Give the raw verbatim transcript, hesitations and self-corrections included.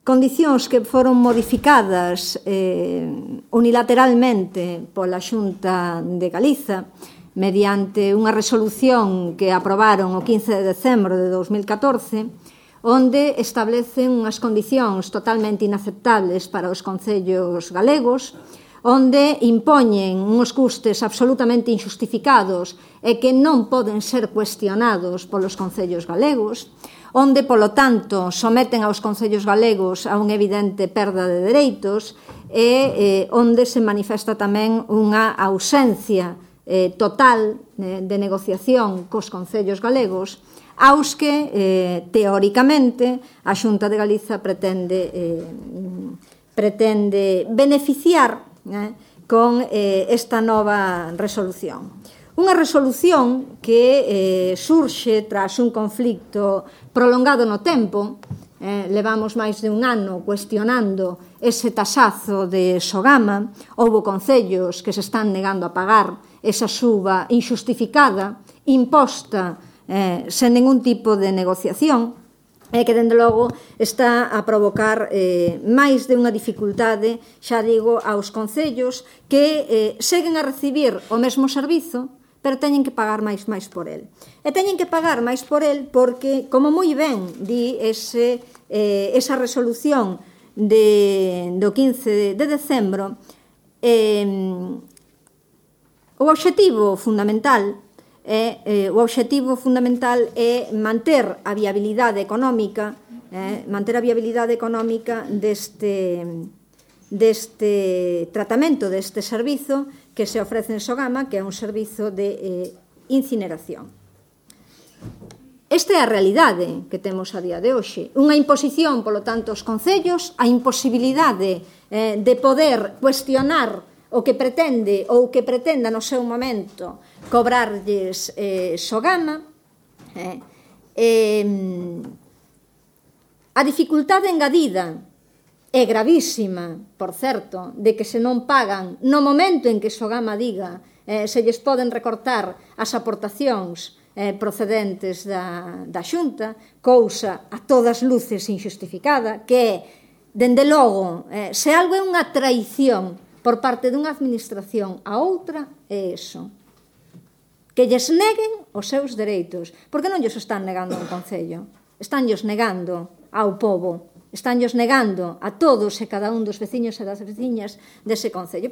condicións que foron modificadas eh, unilateralmente pola Xunta de Galiza mediante unha resolución que aprobaron o quince de decembro de dous mil catorce, onde establecen unhas condicións totalmente inaceptables para os concellos galegos, onde impoñen uns custes absolutamente injustificados e que non poden ser cuestionados polos concellos galegos, onde, polo tanto, someten aos concellos galegos a unha evidente perda de dereitos e eh, onde se manifesta tamén unha ausencia eh, total eh, de negociación cos concellos galegos, aos que, eh, teóricamente, a Xunta de Galiza pretende, eh, pretende beneficiar eh, con eh, esta nova resolución. Unha resolución que eh, surxe tras un conflicto prolongado no tempo. Eh, levamos máis de un ano cuestionando ese tasazo de Sogama. Houbo concellos que se están negando a pagar esa suba injustificada, imposta eh, sen ningún tipo de negociación, e que, dende logo, está a provocar eh, máis de unha dificultade, xa digo, aos concellos que eh, seguen a recibir o mesmo servizo, pero teñen que pagar máis máis por el. E teñen que pagar máis por el porque, como moi ben di ese, eh, esa resolución de, do quince de decembro, eh, o obxectivo fundamental é, eh, o obxectivo fundamental é manter a viabilidade económica, eh, manter a viabilidade económica deste, deste tratamento, deste servizo que se ofrece en Sogama, que é un servizo de eh, incineración. Esta é a realidade que temos a día de hoxe. Unha imposición, polo tanto, aos concellos, a imposibilidade eh, de poder cuestionar o que pretende ou que pretenda no seu momento cobrarlles eh, Sogama. Eh, eh, a dificultade engadida é gravísima, por certo, de que se non pagan no momento en que Sogama diga eh, se lles poden recortar as aportacións eh, procedentes da, da Xunta, cousa a todas luces injustificada, que é, dende logo, eh, se algo é unha traición por parte dunha administración a outra, é iso. Que lles neguen os seus dereitos. Porque non lles están negando a un concello. Están lles negando ao pobo. Están lles negando a todos e cada un dos veciños e das veciñas dese concello.